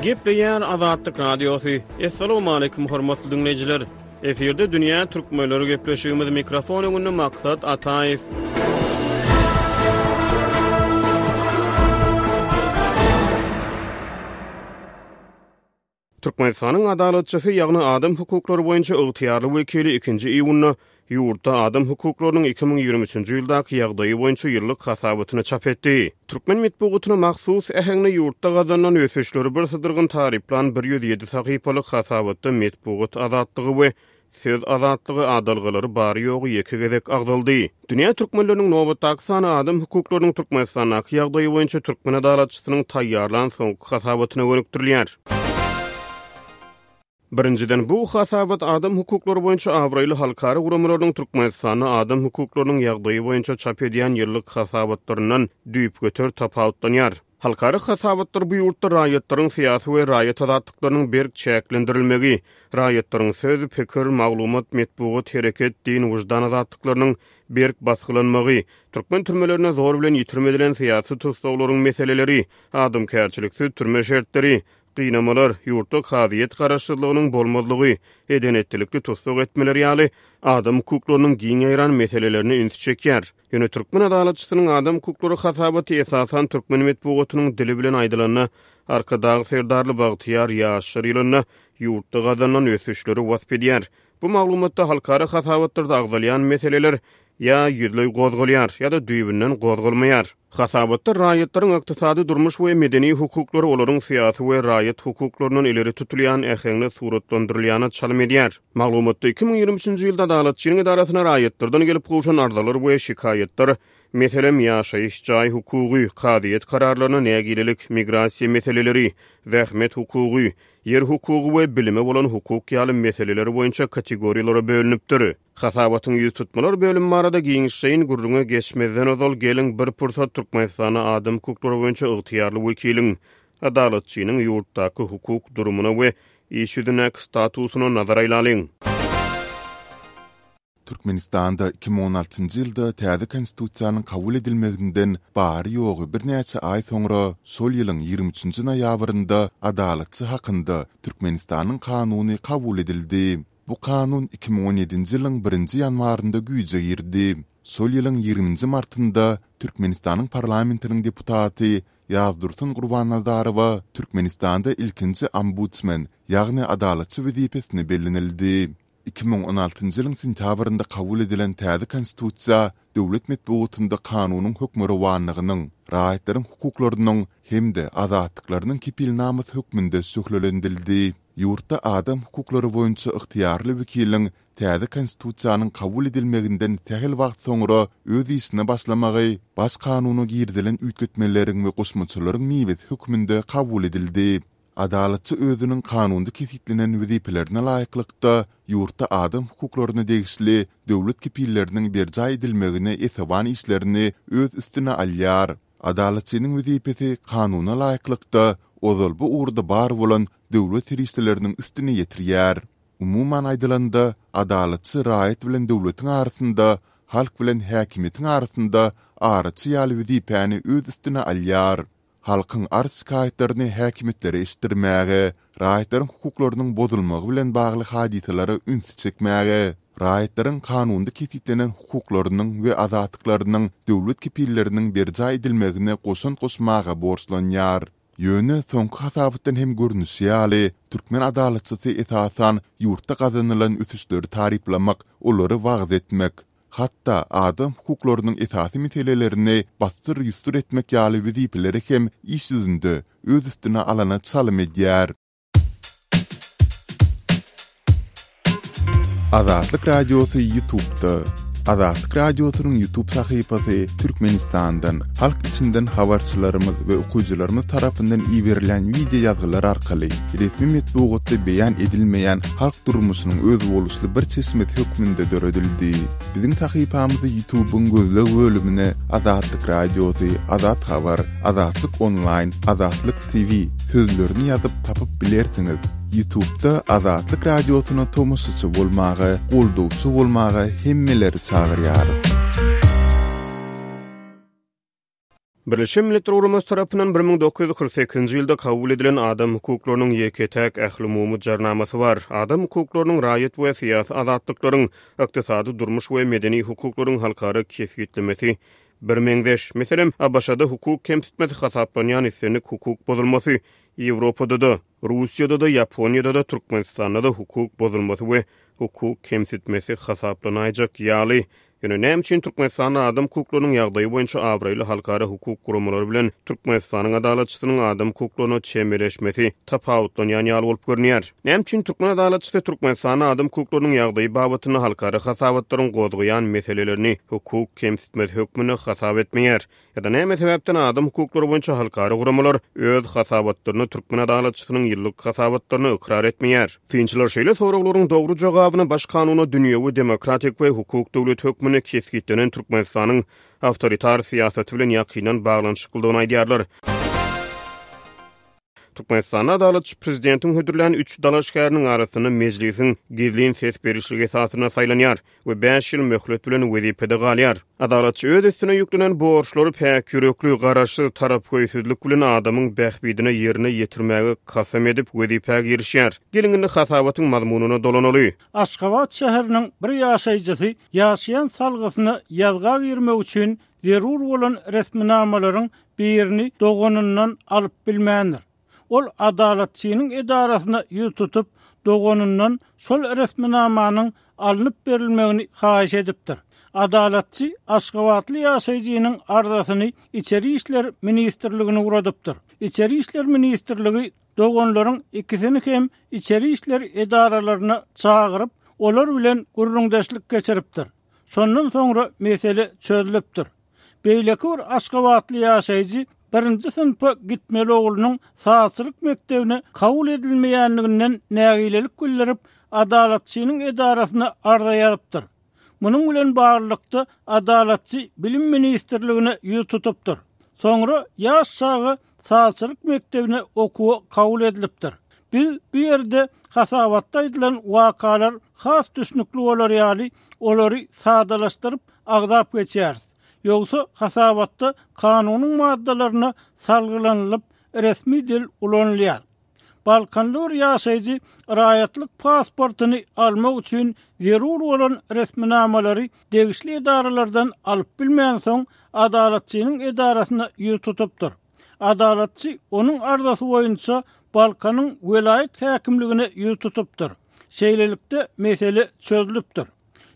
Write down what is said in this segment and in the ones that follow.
Gepleýär Azatlyk Radiosy. Assalamualaikum hormatly diňleýjiler. Efirde dünýä türkmenleri gepleşigimiz mikrofon öňünde Maksat Ataýew. Türkmenistanyň Adalatçysy, ýagny adam hukuklary boýunça ygtyýarly wekili ikinji iýunda ýurtda adam hukuklarynyň 2023-nji ýyldaky ýagdaýy boýunça ýyllyk hasabatyny çap etdi. Türkmen metbugatyna mahsus äheňde ýurtda gazanylan ösüşleri birsydyrgyn taryplan 107 sahypalyk hasabatda metbugat azatlygy we Söz azatlygy adalgalary bary-ýogy ýeke gezek agzaldy. Dünýä türkmenleriniň nobatdaky sany adam hukuklarynyň Türkmenistandaky ýagdaýy boýunça türkmen adalatçysynyň taýýarlan soňky hasabatyna gönükdirilýär. Birinjiden, bu hasabat adam hukuklary boýunça abraýly halkara guramalarynyň Türkmenistanda adam hukuklarynyň ýagdaýy boýunça çap edýän ýyllyk hasabatlaryndan düýpgöter tapawutlanýar. Halkara hasabatlar bu ýurtda raýatlaryň syýasy we raýat azatlyklarynyň berk çäklendirilmegi, raýatlaryň söz, pikir, maglumat, metbugat, hereket, din, wyždan azatlyklarynyň berk basgylanmagy, türkmen türmelerinde zor bilen ýitirim edilen syýasy tussaglaryň meseleleri, adamkärçiliksiz türme şertleri, gynamalar, ýurtda kazyýet garaşsyzlygynyň bolmazlygy, eden-etdilikli tussag etmeler ýaly adam hukuklarynyň giň ýaýran meselelerine ünsi çekýär. Ýöne türkmen adalatçysynyň adam hukuklary hasabaty esasan türkmen metbugatynyň dili bilen aýdylanda, Arkadag Serdarly bagtyýar ýaşlar ýylynda ýurtda gazanylan ösüşleri wasp edýär. Bu maglumatda halkara hasabatlarda agzalýan meseleler ýa ýüzleý gozgalýar, ýa-da düýbünden gozgalmaýar. Hasabatda raýatlaryň ykdysady, durmuş we medeni hukuklary olaryň syýasy we raýat hukuklaryndan ileri tutulýan äheňde suratlandyrylýana çalym edýär. Maglumatda 2023-nji ýylda Adalatçynyň edarasyna raýatlardan gelip gowşan arzalar we şikaýatlar, meselem, ýaşaýyş jaý hukugy, kazyýet kararlaryna nägilelik, migrasiýa meseleleri, zähmet hukugy, ýer hukugy we bilime bolan hukuk ýaly meseleler boýunça kategoriýalara bölünipdir. Hasabatyň ýüztutmalar bölümi barada giňişleýin gürrüňe geçmezden ozal, geliň, bir pursat Türkmenistanda adam hukuklary boýunça ygtyýarly wekiliň, Adalatçynyň ýurtdaky hukuk durumyna we iş ýüzündäki statusyna nazar aýlalyň. Türkmenistanda 2016-njy ýylda täze Konstitusiýanyň kabul edilmeginden bary-ýogy birnäçe aý soňra, şol ýylyň 23-nji noýabrynda Adalatçy hakynda Türkmenistanyň Kanuny kabul edildi. Bu kanun 2017-nji ýylyň birinji ýanwarynda güýje girdi. Şol ýylyň ýigriminji martynda Türkmenistanyň parlamentiniň deputaty Ýazdursun Gurbannazarowa Türkmenistanda ilkinji ombudsmen, ýagny adalatçy wezipesine bellenildi. 2016-njy ýylyň sentýabrynda kabul edilen täze Konstitusiýa döwlet metbugatynda kanunyň hökmürowanlygynyň, raýatlaryň hukuklarynyň hem-de azatlyklarynyň kepilnamasy hökmünde şöhlelendirildi. Ýurtda adam hukuklary boýunça ygtyýarly wekiliň täze Konstitusiýanyň kabul edilmeginden sähel wagt soňra öz işine başlamagy Baş kanuna girizilen üýtgetmeleriň we goşmaçalaryň miwesi hökmünde kabul edildi. Adalatçy özüniň kanunda kesgitlenen wezipelerine laýyklykda ýurtda adam hukuklaryna degişli döwlet kepilleriniň berjaý edilmegine esewan işlerini öz üstüne alýar. Adalatçynyň wezipesi kanuna laýyklykda ozal bu ugurda bar bolan döwlet serişdeleriniň üstüni ýetirýär. Umuman aýdylanda, adalatçy raýat bilen döwletiň arasynda, halk bilen häkimiýetiň arasynda araçy ýaly wezipäni öz üstüne alýar. Halkyň arz-şikaýatlaryny häkimiýetlere eşitdirmäge, raýatlaryň hukuklarynyň bozulmagy bilen bagly hadysalara ünsi çekmäge, raýatlaryň kanunda kesgitlenen hukuklarynyň we azatlyklarynyň döwlet kepilleriniň berjaý edilmegine goşant goşmaga borçlanýar. Ýöne soňky hasabatdan hem görnüşi ýaly, türkmen adalatçysy esasan ýurtda gazanylan ösüşleri taryplamak, olary wagyz etmek, hatda adam hukuklarynyň esasy meselelerini bassyr-ýussur etmek ýaly wezipeleri hem iş ýüzünde öz üstüne alana çalym edýär. Azatlyk Radiosy Ýutubda Azatlyk Radiosynyň Ýutub sahypasy Türkmenistandan, halk içinden habarçylarymyz we okyjylarymyz tarapyndan iberilen wideo ýazgylar arkaly resmi metbugatda beýan edilmeýän halk durmuşynyň özboluşly bir çeşmesi hökmünde döredildi. Biziň sahypamyzy Ýutubyň gözleg bölümine Azatlyk Radiosy, Azat Habar, Azatlyk Onlaýn, Azatlyk TV sözlerini ýazyp tapyp bilersiňiz. Ýutubda Azatlyk Radiosyna tomaşaçy bolmaga, goldawçy bolmaga hemmeleri çagyrýarys. Birleşen Milletler Guramasy tarapyndan 1948-nji ýylda kabul edilen Adam hukuklarynyň ýeke-täk ählumumy jarnamasy bar. Adam hukuklarynyň, raýat we syýasy azatlyklaryň, ykdysady, durmuş we medeni hukuklaryň halkara kesgitlemesi birmeňzeş. Meselem, ABŞ-da hukuk kemsitmesi hasaplanýan islendik hukuk bozulmasy Ýewropada-da, Russiýada-da, Ýaponiýada-da, Türkmenistanda-da hukuk bozulmasy we hukuk kemsitmesi hasaplanaýjak ýaly. Ýöne näme üçin Türkmenistanda adam hukuklarynyň ýagdaýy boýunça abraýly halkara hukuk guramalary bilen Türkmenistanyň adalatçysynyň adam hukuklaryna çemeleşmesi tapawutlanýan ýaly bolup görünýär? Näme üçin türkmen adalatçysy Türkmenistanda adam hukuklarynyň ýagdaýy babatynda halkara hasabatlaryň gozgaýan meselelerini hukuk kemsitmesi hökmünde hasap etmeýär? Ýa-da näme sebäpden adam hukuklary boýunça halkara guramalar öz hasabatlarynda türkmen adalatçysynyň ýyllyk hasabatlaryny ykrar etmeýär? Synçylar şeýle soraglaryň dogry jogabyny Baş kanunda dünýewi, demokratik we hukuk döwleti hökmünde kesgitlenen Türkmenistanyň awtoritar syýasaty bilen ýakyndan baglanyşyklydygyny aýdýarlar. Türkmenistanda adalatçy prezidentiň hödürlän üç dalaşgäriniň arasynda mejlisiň gizlin ses berişligi esasynda saýlanýar we bäş ýyl möhlet bilen wezipede galýar. Adalatçy öz üstüne ýüklenen borçlary päk ýürekli, garaşsyz, tarapgöýsüzlik bilen adamyň bähbidine ýerine ýetirmäge kasam edip wezipä girişýär. Geliň indi hasabatyň mazmunyna dolanaly. Aşgabat şäheriniň bir ýaşaýjysy ýaşaýan salgysyna ýazga girmek üçin zerur bolan resminamalaryň birini doganyndan alyp bilmändir. Ol Adalatçynyň edarasyna ýüz tutup, doganyndan şol resminamanyň alnyp berilmegini haýyş edipdir. Adalatçy aşgabatly ýaşaýjynyň arzasyny Içeri işler ministrligine ugradypdyr. Içeri işler ministrligi doganlaryň ikisini hem içeri işler edaralaryna çagyryp, olar bilen gürrüňdeşlik geçiripdir. Şondan soňra mesele çözlüpdir. Beýleki bir aşgabatly ýaşaýjy birinji synpa gitmeli oglunyň sazçylyk mekdebine kabul edilmeýänliginden nägilelik bildirip, Adalatçynyň edarasyna arza ýazypdyr. Munuň bilen baglylykda, Adalatçy Bilim ministrligine ýüz tutupdyr. Soňra ýaş çaga sazçylyk mekdebine okuwa kabul edilipdir. Biz bu ýerde hasabatda aýdylan wakalar has düşnükli bolar ýaly, olary sadalaşdyryp agzap geçýäris. Ýogsa hasabatda kanunyň maddalaryna salgylanylyp resmi dil ulanylýar. Balkanly bir ýaşaýjy raýatlyk pasportyny almak üçin zerur bolan resminamalary degişli edaralardan alyp bilmänsoň, Adalatçynyň edarasyna ýüz tutupdyr. Adalatçy onuň arzasy boýunça Balkanyň welaýat häkimligine ýüz tutupdyr. Şeýlelikde, mesele çözlüpdir.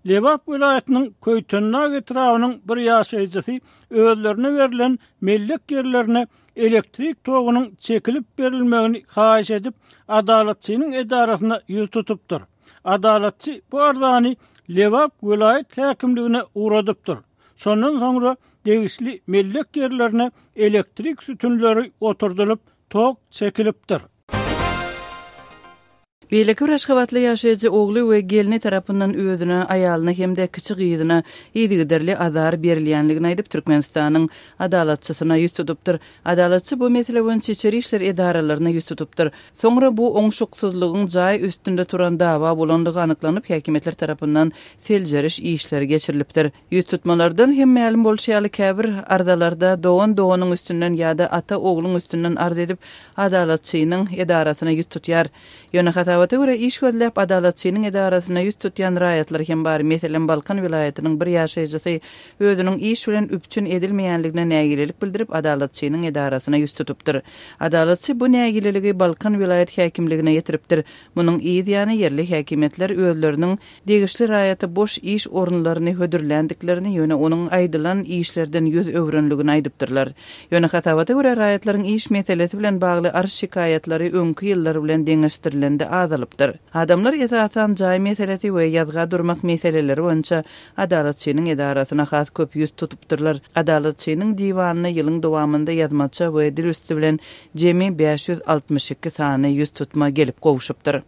Lebap welaýatynyň Köýtendag etrabynyň bir ýaşaýjysy özlerine berlen mellek ýerlerine elektrik togunyň çekilip berilmegini haýyş edip, Adalatçynyň edarasyna ýüz tutupdyr. Adalatçy bu arzany Lebap welaýat häkimligine ugradypdyr. Şondan soňra degişli mellek ýerlerine elektrik sütünleri oturdylyp, tok çekilipdir. Beýleki bir aşgabatly ýaşaýjy ogly we gelni tarapyndan özüne, aýalyna hem-de kiçi gyzyna yzygiderli azar berilýänligini aýdyp, Türkmenistanyň Adalatçysyna ýüz tutupdyr. Adalatçy bu mesele boýunça içeri işler edaralaryna ýüz tutupdyr. Soňra bu oňşuksyzlygyň jaý üstünde turan dawa bolandygy anyklanyp, häkimiýetler tarapyndan seljeriş işleri geçirilipdir. Ýüztutmalardan hem mälim bolşy ýaly, käbir arzalarda dogan doganyň üstünden ýa-da ata ogluň üstünden arz edip, Adalatçynyň edarasyna ýüz tutýar. Ýöne hasabata görä, iş gözläp Adalatçynyň edarasyna ýüz tutýan raýatlar hem bar. Meselem, Balkan welaýatynyň bir ýaşaýjysy özüniň iş bilen üpjün edilmeýänligine nägilelik bildirip, Adalatçynyň edarasyna ýüz tutupdyr. Adalatçy bu nägileligi Balkan welaýat häkimligine ýetiripdir. Munuň yz ýany ýerli häkimiýetler özleriniň degişli raýata boş iş orunlaryny hödürländiklerini, ýöne onuň aýdylan işlerden ýüz öwrenligini aýdypdyrlar. Ýöne hasabata görä, raýatlaryň iş meselesi bilen bagly arz-şikaýatlary öňki ýyllar bilen deňeşdirilende azalypdyr. Adamlar esasan jaý meselesi we ýazga durmak meseleleri boýunça Adalatçynyň edarasyna has köp ýüz tutupdyrlar. Adalatçynyň diwanyna ýylyň dowamynda ýazmaça we dil üsti bilen jemi 562 sany ýüztutma gelip gowşupdyr.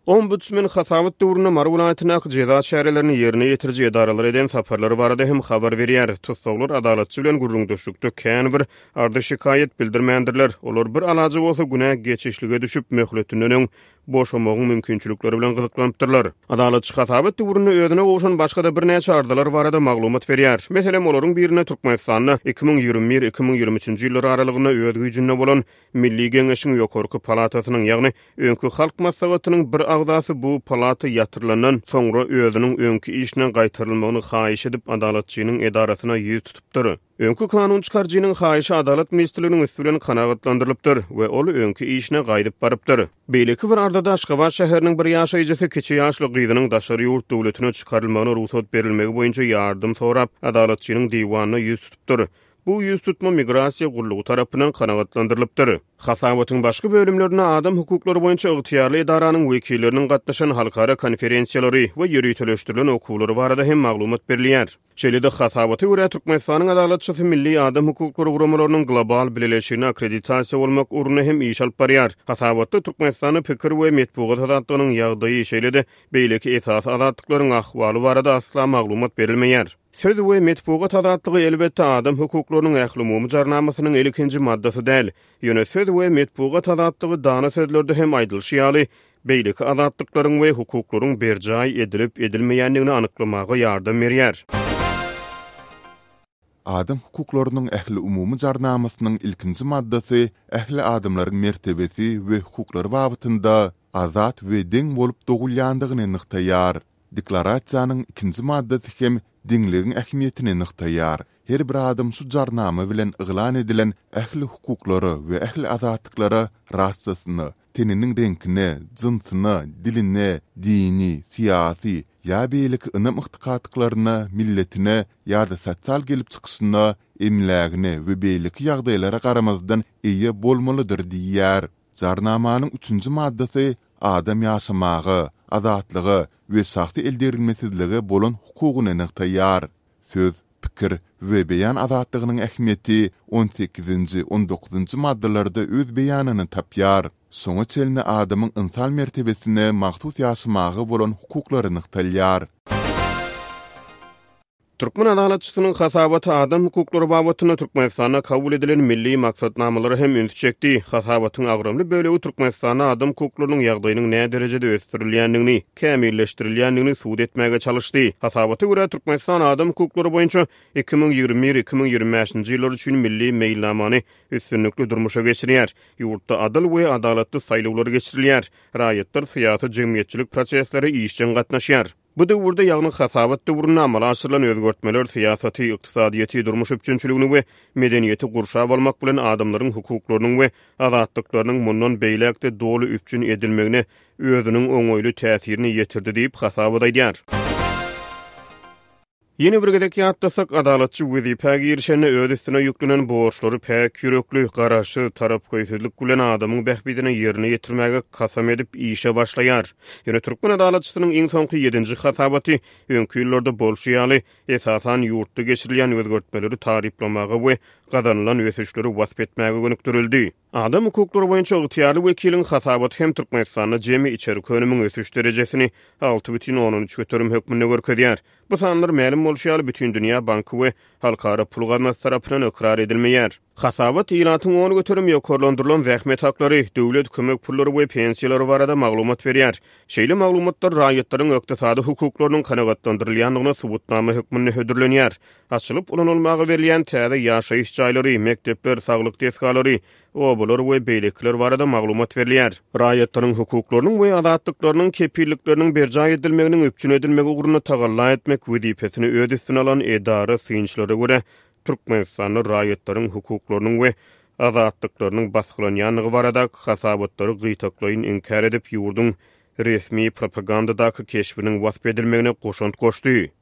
Ombudsmen hasabat döwründe Mary welaýatyndaky jeza çärelerini ýerine ýetiriji edaralara eden saparlary barada hem habar berýär. Tussaglar adalatçy bilen gürrüňdeşlikde kän bir arza-şikaýat bildirmändirler. Olar bir alaja bolsa günä geçişlige düşüp, möhletinden öň. boşamagyň mümkinçilikleri bilen gyzyklanypdyrlar. Adalatçy hasabat döwründe özüne gowşan başga-da birnäçe arzalar barada maglumat berýär. Meselem, olaryň birinde Türkmenistanda 2021, 2023-nji ýyllar aralygynda öz güýjünde bolan Milli Geňeşiň ýokarky palatasynyň, ýagny öňki Halk Maslahatynyň bir agzasy bu palata ýatyrylandan soňra özüniň öňki işine gaýtarylmagyny haýyş edip, Adalatçynyň edarasyna ýüz tutupdyr. Öňki kanun çykaryjynyň haýyşy Adalat ministrliginiň üsti bilen kanagatlandyrylypdyr we ol öňki işine gaýdyp barypdyr. Beýleki bir arzada Aşgabat şäheriniň bir ýaşaýjysy kiçi ýaşly gyzynyň daşary ýurt döwletine çykarylmagyna rugsat berilmegi boýunça ýardam sorap, Adalatçynyň diwanyna ýüz tutupdyr. Bu ýüztutma Migrasiýa gullugy tarapyndan kanagatlandyrylypdyr. Hasabatyň başga bölümlerinde adam hukuklary boýunça ygtyýarly edaranyň wekilleriniň gatnaşan halkara konferensiýalary we ýöriteleşdirilen okuwlary barada hem maglumat berilýär. Şeýle-de, hasabata görä, Türkmenistanyň Adalatçysy milli adam hukuklary guramalarynyň global bileleşigine akkreditasiýa bolmak ugrunda hem iş alyp barýar. Hasabatda Türkmenistanda pikir we metbugat azatlygynyň ýagdaýy, şeýle-de beýleki esasy azatlyklaryň ahwaly barada asla maglumat berilmeýär. Söz we metbugat azatlygy, elbetde, adam hukuklarynyň ählumumy jarnamasynyň ilkinji maddasy däl. Ýöne söz we metbugat azatlygy dana sözlerde hem aýdylyşy ýaly, beýleki azatlyklaryň we hukuklaryň berjaý edilip-edilmeýändigini anyklamaga ýardam berýär. Adam hukuklarynyň ählumumy jarnamasynyň ilkinji maddasy ähli adamlaryň mertebesi we hukuklary babatynda azat we deň bolup dogulýandygyny nygtaýar. Deklarasiýanyň ikinji maddasy hem deňligiň ähmiýetini nygtaýar. Her bir adam şu Jarnama bilen yglan edilen ähli hukuklara we ähli azatlyklara rasasyna, teniniň reňkine, jynsyna, diline, dini, syýasy ýa beýleki ynam-ygtykatlyklaryna, milletine ýa-da sosial gelip çykyşyna, emlägine we beýleki ýagdaýlara garamazdan eýe bolmalydyr diýýär. Jarnamanyň üçünji maddasy adam ýaşamaga, azatlyga we şahsy eldegrilmesizlige bolan hukugyny nygtaýar. Söz, pikir we beýan azatlygynyň ähmiýeti on sekizinji, on dokuzynjy maddalarda öz beýanyny tapýar. Şoňa çenli adamyň ynsan mertebesine mahsus ýaşamaga bolan hukuklary nygtalýar. Türkmen Adalatçysynyň hasabaty adam hukuklary babatynda Türkmenistanda kabul edilen milli maksatnamalara hem ünsi çekdi. Hasabatyň agramly bölegi Türkmenistanda adam hukuklarynyň ýagdaýynyň näderejede ösdürilýändigini, kämilleşdirilýändigini subut etmäge çalyşdy. Hasabata görä, Türkmenistan adam hukuklary boýunça 2021, 2025-nji ýyllar üçin milli meýilnamany üstünlikli durmuşa geçirýär. Ýurtda adyl we adalatly saýlawlar geçirilýär. Raýatlar syýasy-jemgyýetçilik proseslere işjeň gatnaşýar. Bu döwürde, ýagny hasabat döwründe amala aşyrylan özgertmeler syýasaty, ykdysadyýeti, durmuş üpjünçiligini we medeniýeti gurşap almak bilen adamlaryň hukuklarynyň we azatlyklarynyň mundan beýläk-de doly üpjün edilmegine özüniň oňaýly täsirini ýetirdi diýip, hasabat aýdýar. Ýene bir gezek ýatlasak, Adalatçy wezipä girişende öz üstüne ýüklenen borçlary päk ýürekli, garaşsyz, tarapgöýsüzlik bilen adamyň bähbidine ýerine ýetirmäge kasam edip işe başlaýar. Ýöne türkmen adalatçysynyň iň soňky ýedinji hasabaty öňki ýyllarda bolşy ýaly, esasan ýurtda geçirilýän özgertmeleri taryplamaga we gazanylan ösüşleri wasp etmäge gönükdirildi. Adam hukuklary boýunça ygtyýarly wekiliň hasabaty hem Türkmenistanda jemi içerki önümiň ösüş derejesini 6,3% hökmünde görkezýär. Bu sanlar mälim bolşy ýaly Bütindünýä banky we Halkara pul gaznasy tarapyndan ykrar edilmeýär. Hasabat ilatyň 10% ýokarlandyrylan zähmet haklary, döwlet kömek pullary we pensiýalary barada maglumat berýär. Şeýle maglumatlar raýatlaryň ykdysady hukuklarynyň kanagatlandyrylýandygyna subutnama hökmünde hödürlenýär. Açylyp ulanylmaga berilýän täze ýaşaýyş jaýlary, mekdepler, saglyk desgalary, obalar we beýlekiler barada maglumat berilýär. Raýatlaryň hukuklarynyň we azatlyklarynyň kepillikleriniň berjaý edilmeginiň üpjün edilmegi ugrunda tagalla etmek wezipesini öz üstüne alan edara synçylara görä, Türkmenistanda raýatlaryň hukuklarynyň we azatlyklarynyň basgylanýandygy baradaky hasabatlary gytaklaýyn inkär edip, ýurduň resmi propagandadaky keşbiniň wasp edilmegine goşant goşdy.